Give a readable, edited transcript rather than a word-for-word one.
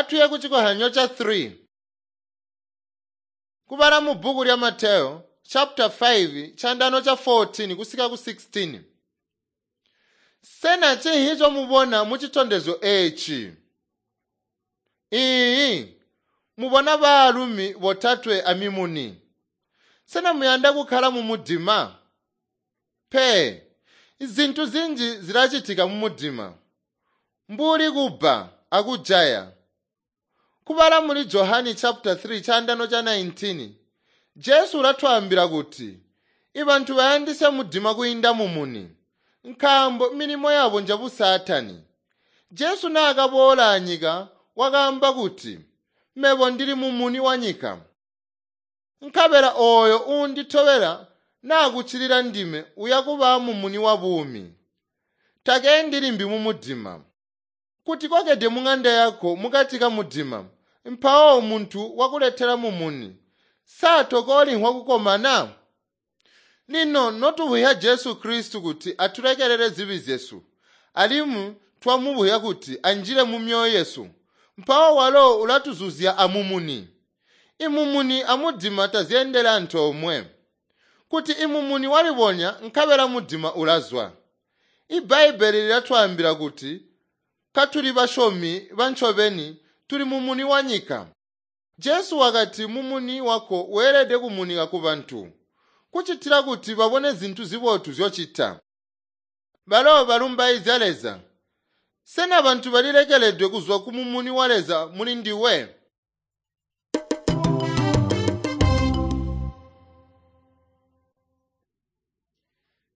Atuye kucikozyanyo ca 3. Kubala mu bbuku lya Mateyo chapter 5 chandano cha 14 kusika ku 16. Sena chinhi chomubona mu chitondezyo echi? Iyi mubona baalumi botatwe amimuni. Sena muyanda kukhala mu mudima? Pe, zintu zinji zilachitika mu mudima. Mbuli kubba akujaya. Kubala muli Johani chapter 3 chandano cha 19, Jesu ulatwaambila kuti ibantu bayandisya mudima kuyinda mumuni, nkaambo milimo yabo njabusaatani. Jesu naakaboola anyika wakaamba kuti, mebo ndili mumuni wa nyika. Nkabela ooyo uunditobela naakuccilila ndime uya kuba mumuni wa buumi. Takeendi limbi mu mudima. Kuti kokede mung'anda yako mukati ka mudima, mpawo muntu wakuletela mumuni, sa tokolinhwa kukomana? Lino notubuya Jesu Kristu kuti atulekelele zibi zyesu, alimwi twamubuya kuti anjile mu myoyo yesu, mpawo walo ulatuzuzya amumuni. Imumuni amudima tazyeendele antoomwe. Kuti imumuni walibonya nkabela mudima ulazwa. Ibbaibbele lilatwaambila kuti katuli basyomi bancobeni tuli mumuni wa nyika. Jesu wakati mumuni wako weelede kumunika ku bantu, kucitila kuti babone zintu zibotu zyocita. Balo balumbaizya Leza. Sena bantu balilekeledwe kuzwa ku mumuni wa Leza muli ndiwe?